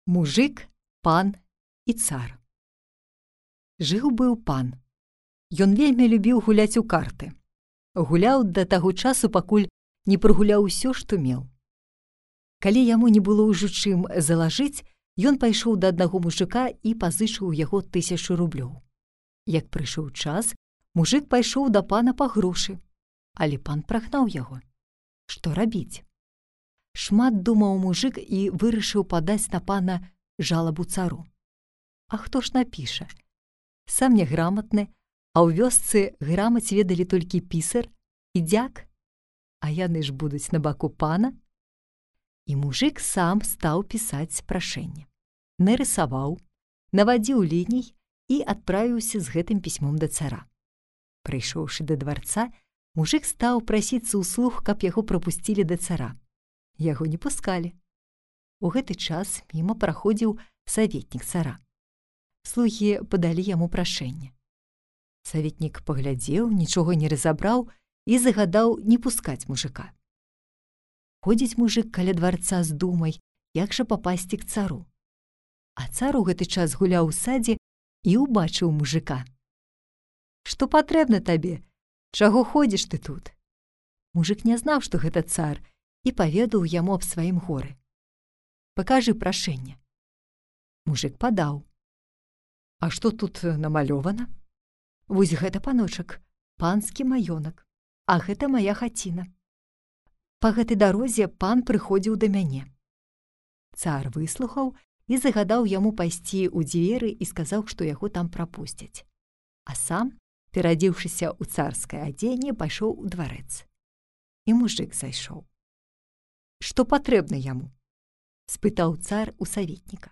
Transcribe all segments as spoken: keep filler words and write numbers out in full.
Мужык, пан і цар. Жыў-быў пан. Ён вельмі любіў гуляць у карты. Гуляў да таго часу, пакуль не прагуляў усё, што меў. Калі яму не было ўжо чым залажыць, ён пайшоў да аднаго мужыка і пазычыў у яго тысячу рублёў. Як прыйшоў час, мужык пайшоў да пана па грошы, але пан прагнаў яго. Што рабіць? Шмат думаў мужык і вырашыў падаць на пана жалабу цару. А хто ж напіша? Сам няграматны, а ў вёсцы грамаць ведалі толькі пісар і дзяк, а яны ж будуць на баку пана. І мужык сам стаў пісаць прашэнне. Нарысаваў, навадзіў ліній і адправіўся з гэтым пісьмом да цара. Прыйшоўшы да дварца, мужык стаў прасіцца ўслух, каб яго прапусцілі да цара. Яго не пускалі. У гэты час міма праходзіў саветнік цара. Слугі падалі яму прашэнне. Саветнік паглядзеў, нічога не разабраў і загадаў не пускаць мужыка. Ходзіць мужык каля дварца з думай, як жа папасці к цару. А цар у гэты час гуляў у садзе і ўбачыў мужыка. «Што патрэбна табе? Чаго ходзіш ты тут?» Мужык не знаў, што гэта цар, і паведаў яму аб сваім горы. «Пакажы прашэнне». Мужык падаў. «А што тут намалёвана?» «Вось гэта, паночак, панскі маёнак, а гэта мая хаціна. Па гэтай дарозе пан прыходзіў да мяне». Цар выслухаў і загадаў яму пайсці ў дзверы і сказаў, што яго там прапусцяць. А сам, пераадзеўшыся ў царскае адзенне, пайшоў у дварэц. І мужык зайшоў. «Што патрэбна яму?» — спытаў цар у саветніка.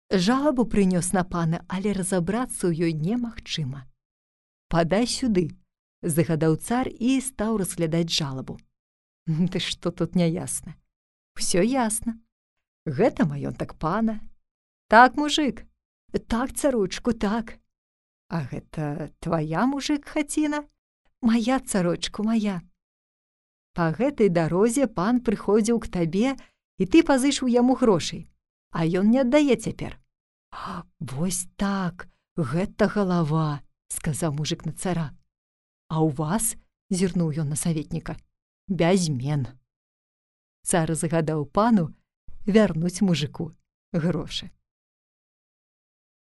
«Жалабу прынёс на пана, але разабрацца ў ёй немагчыма». «Падай сюды», — загадаў цар і стаў разглядаць жалабу. «Ты што тут няясна?» «Усё ясна. Гэта маёнтак пана». «Так, мужык?» «Так, царочку, так». «А гэта твая, мужык, хаціна?» «Мая, царочку, мая». «Па гэтай дарозе пан прыходзіў к табе, і ты пазычыў яму грошай, а ён не аддае цяпер». «Вось так, гэта галава», — сказаў мужык на цара. «А ў вас?» — зірнуў ён на саветніка. «Бязмен». Цар загадаў пану вярнуць мужыку грошы.